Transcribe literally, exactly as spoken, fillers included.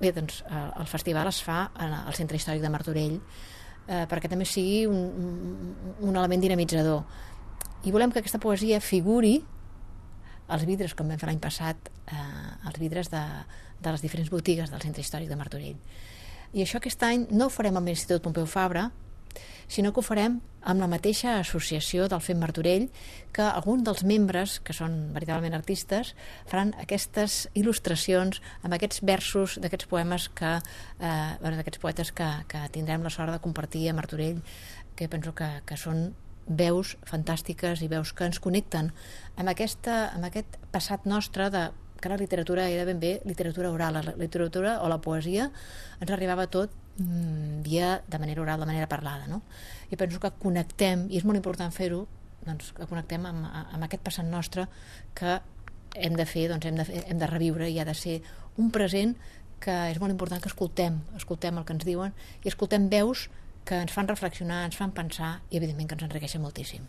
Bé, doncs el festival es fa al Centre Històric de Martorell eh, perquè també sigui un, un, un element dinamitzador. I volem que aquesta poesia figuri als vidres, com vam fer l'any passat, eh, als vidres de, de les diferents botigues del Centre Històric de Martorell. I això aquest any no ho farem amb l'Institut Pompeu Fabra, sinó que ho farem amb la mateixa associació del FEM Martorell, que alguns dels membres, que són veritablement artistes, faran aquestes il·lustracions amb aquests versos d'aquests poemes que, eh, d'aquests poetes que, que tindrem la sort de compartir a Martorell, que penso que, que són veus fantàstiques i veus que ens connecten amb, aquesta, amb aquest passat nostre de que la literatura era ben bé literatura oral. La literatura o la poesia ens arribava tot mmm, via de manera oral, de manera parlada, no? I penso que connectem, i és molt important fer-ho, doncs, que connectem amb, amb aquest passat nostre que hem de fer, doncs hem de, fer, hem de reviure, i ha de ser un present que és molt important que escoltem, escoltem el que ens diuen i escoltem veus que ens fan reflexionar, ens fan pensar i evidentment que ens enriqueixen moltíssim.